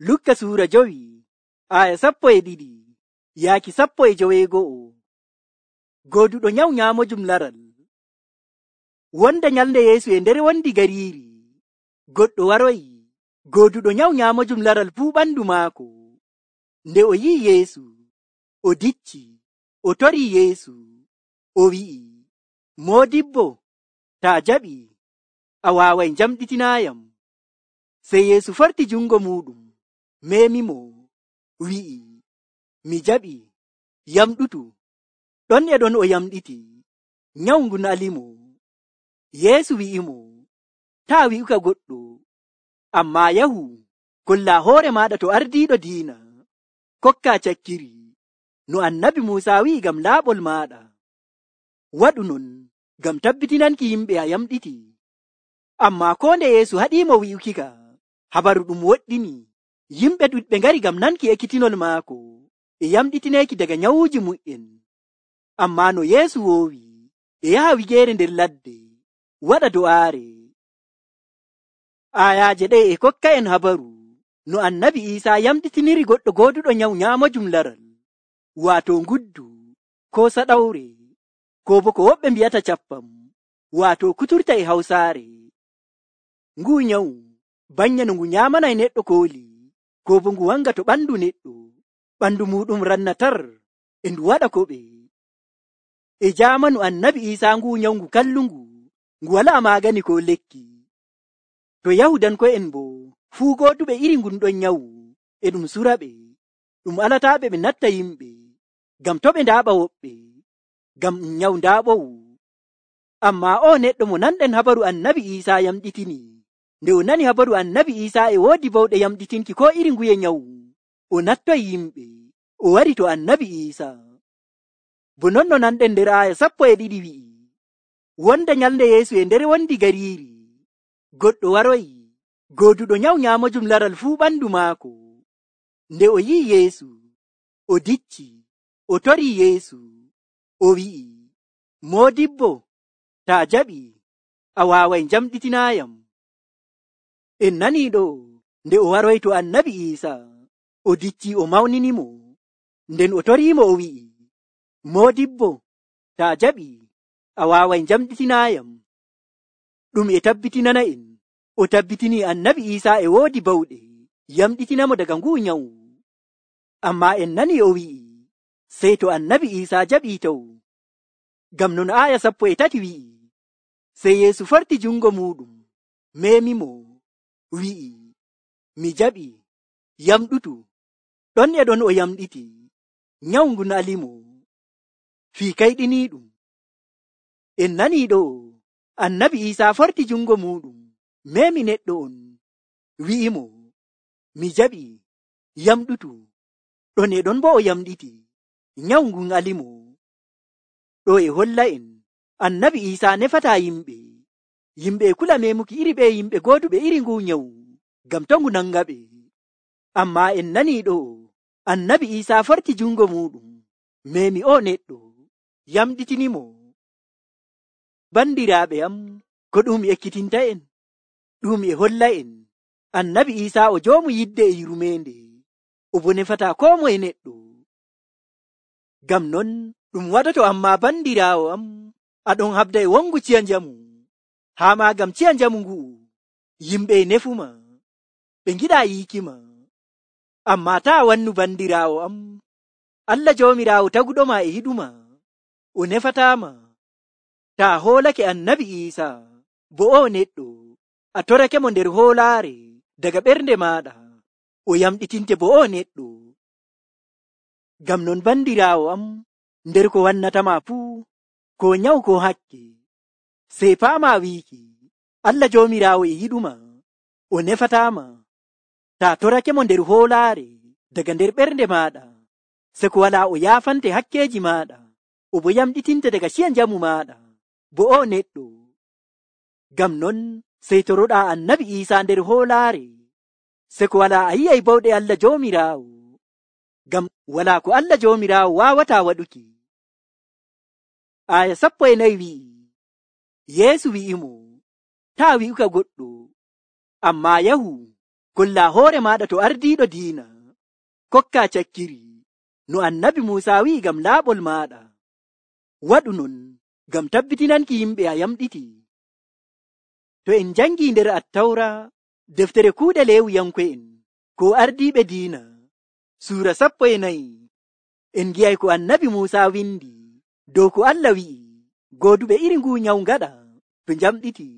Lukka suura 5 aya 12 yaaki 12. Goduɗo nyawu nyaamojum laral. Wonda nyalnde Yeesu e nder wondi gariiri, goɗɗo waroyi goduɗo nyawu nyaamojum laral fuu ɓandu maako. Nde o yi'i Yeesu, o dicci, o torii Yeesu, o wi'i, Moodibbo, taa jaɓi, a waaway njamɗitinaayam. Sey Yeesu forti jungo muuɗum, meemimo, wi'i, mi jaɓi, yamɗutu. Ɗon e ɗon o yamɗiti, nyawu ngun alimo. Yeesu wi'imo, taa wi'uka goɗɗo, ammaa yahu, kolla hoore maaɗa to ardiiɗo diina, kokka cakkiri, no annabi Muusa wi'i ngam laaɓol maaɗa. Waɗu non ngam tabbitinanki yimɓe a yamɗiti. Ammaa ko nde Yeesu haɗiimo wi'ukika, habaru ɗum woɗɗini, yimɓe ɗuɗɓe ngari ngam nanki ekkitinol maako e yamɗitineeki daga nyawuuji mu'en. Ammaa no Yeesu woowi, e yaha wigeere nder ladde, waɗa do'aare. Ayaaje ɗe e kokka en habaru no annabi Iisaa yamɗitiniri goɗɗo gooduɗo nyawu nyaamojum laral, waato nguddu, ko saɗawre, ko bo ko woɓɓe mbi'ata cappam, waato kuturta e Hawsaare. Nguu nyawu banya no ngu nyaamanay neɗɗo kooli, ko bo ngu wanga to ɓandu neɗɗo, ɓandu muɗum rannatar e ndu waɗa koɓe. E jaamanu annabi Iisaa nguu nyawu ngu kallungu, ngu walaa maagani ko lekki. To Yahudanko'en bo fuu gooduɓe iri ngun ɗon nyawu e ɗum suraɓe, ɗum alataaɓe ɓe natta yimɓe, ngam to ɓe ndaaɓa woɓɓe, ngam ɗum nyawu ndaaɓowu. Ammaa o neɗɗo mo nanɗen habaru annabi Iisaa yamɗitini, nde o nani habaru annabi Iisaa e woodi bawɗe yamɗitinki ko iri nguye nyawu, o nattoyi yimɓe, o wari to annabi Iisaa. Bo non no nanɗen nder aya 12 wi'i, wonda nyalnde Yeesu e nder wondi gariiri, goɗɗo waroyi goduɗo nyawu nyaamojum laral fuu ɓandu maako. Nde o yi'i Yeesu, o dicci, o torii Yeesu, o wi'i, Moodibbo, taa jaɓi, a waaway njamɗitinaayam. En nanii ɗo, nde o waroyi to annabi Iisaa, o dicci o mawninimo, nden o toriimo o wi'i, Moodibbo, taa jaɓi, a waaway njamɗitinaayam. Ɗum e tabbitinana en, o tabbitini annabi Iisaa e woodi bawɗe yamɗitinamo daga nguu nyawu. Ammaa en nani o wi'i, sey to annabi Iisaa jaɓii taw. Ngam non aya 13 wi'i, sey Yeesu forti jungo muuɗum, meemimo, wi'i, mi jaɓi, yamɗutu. Ɗon e ɗon o yamɗiti, nyawu ngun alimo. Fii kayɗiniiɗum. En nanii ɗo, annabi Iisaa forti jungo muuɗum, meemi neɗɗo on, wi'imo, mi jaɓi, yamɗutu. Ɗon e ɗon bo o yamɗiti, nyawu ngun alimo. Ɗo e holla en, annabi Iisaa nefataa yimɓe. Yimɓe e kula memuki iri ɓe yimɓe gooduɓe iri nguu nyawu, ngam to ngu nanga ɓe. Ammaa en nanii ɗo, annabi Iisaa forti jungo muuɗum, meemi o neɗɗo, yamɗitinimo. Bandiraaɓe am, ko ɗum ekkitinta en, ɗum e holla en, annabi Iisaa o joomu yidde e yurmeende, o bo nefataa ko moye neɗɗo. Ngam non ɗum waɗoto ammaa bandiraawo am, aɗon habda e wongu ciya njamu, haa maa ngam ciya njamu ngu'u, yimɓe e nefuma, ɓe ngiɗaa yiikima. Ammaa taa wannu bandiraawo am, Allah Joomiraawo taguɗoma e yiɗuma, o nefataama. Taa hoolake annabi Iisaa, bo o neɗɗo, a torake mo nder hoolaare daga ɓernde maaɗa, o yamɗitinte bo o neɗɗo. Ngam non bandiraawo am, nder ko wannatama fuu, ko nyawu ko hakke, sey paama wiiki, Allah Joomiraawo e yiɗuma, o nefataama. Taa torake mo nder hoolaare daga nder ɓernde maaɗa, se ko walaa o yaafante hakkeeji maaɗa, o bo yamɗitinte daga ciya njamu maaɗa, bo o neɗɗo. Ngam non sey toroɗaa annabi Iisaa nder hoolaare, se ko walaa a yi'ay bawɗe Allah Joomiraawo, ngam walaa ko Allah Joomiraawo waawataa waɗuki. Aya 14 wi'i, Yeesu wi'imo, taa wi'uka goɗɗo, ammaa yahu, kollaa hoore maaɗa to ardiiɗo diina, kokkaa cakkiri no annabi Muusaa wi'i ngam laaɓol maaɗa. Waɗu non ngam tabbitinanki yimɓe a yamɗiti. To en jangii nder Attawra, deftere kuuɗe Leewiyanko'en, ko ardiiɓe diina, suura 14, en ngi'ay ko annabi Muusaa windi dow ko Allah wi'i gooduɓe iri nguu nyawu ngaɗa to njamɗiti.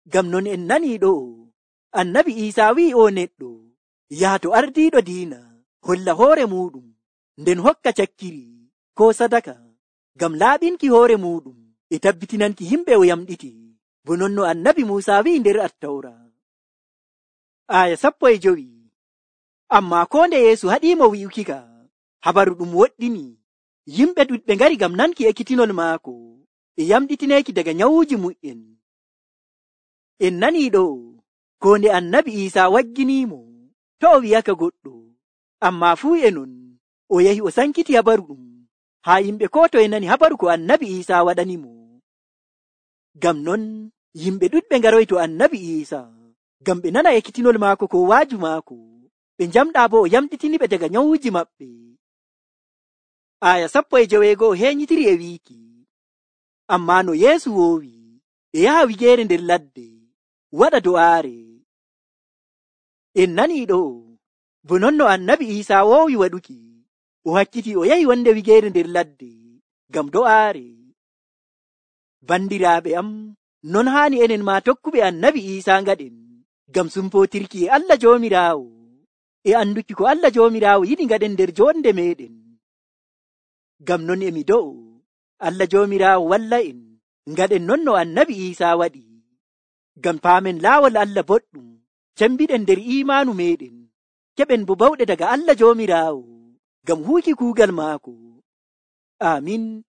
Ngam non en nanii ɗo'o annabi Iisaa wi'i o neɗɗo yaha to ardiiɗo diina holla hoore muuɗum, nden hokka cakkiri ko sadaka ngam laaɓinki hoore muuɗum e tabbitinanki yimɓe o yamɗiti, bo non no annabi Muusaa wi'i nder Attawra. Aya 15. Ammaa koo nde Yeesu haɗiimo wi'ukika habaru ɗum woɗɗini, yimɓe ɗuɗɓe ngari ngam nanki ekkitinol maako e yamɗitineeki daga nyawuuji mu'en. En nanii ɗo ko nde annabi Iisaa wagginiimo to o wi'aka goɗɗo, ammaa fuu e non o yahi o sankiti habaru ɗum haa yimɓe koo to e nani habaru ko annabi Iisaa waɗanimo. Ngam non yimɓe ɗuɗɓe ngaroy to annabi Iisaa ngam ɓe nana ekkitinol maako ko waaju maako, ɓe njamɗaa bo o yamɗitiniɓe daga nyawuuji maɓɓe. Aya 15 heeñitiri e wiiki, ammaa no Yeesu woowi e yaha wigeere nder ladde waɗa do'aare. En nanii ɗo bo non no annabi Iisaa woowi waɗuki, o hakkiti o yahi wonde wigeere nder ladde ngam do'aare. Bandiraaɓe am, non haani enen maa tokkuɓe annabi Iisaa ngaɗen ngam sumpootirki e Allah Joomiraawo e anduki ko Allah Joomiraawo yiɗi ngaɗen nder joonde meeɗen. Ngam non emi do'o Allah Joomiraawo walla en ngaɗen non no annabi Iisaa waɗi, ngam paamen laawol Allah boɗɗum, cembiɗen nder iimaanu meeɗen, keɓen bo bawɗe daga Allah Joomiraawo ngam huuki kuugal maako. Aamin.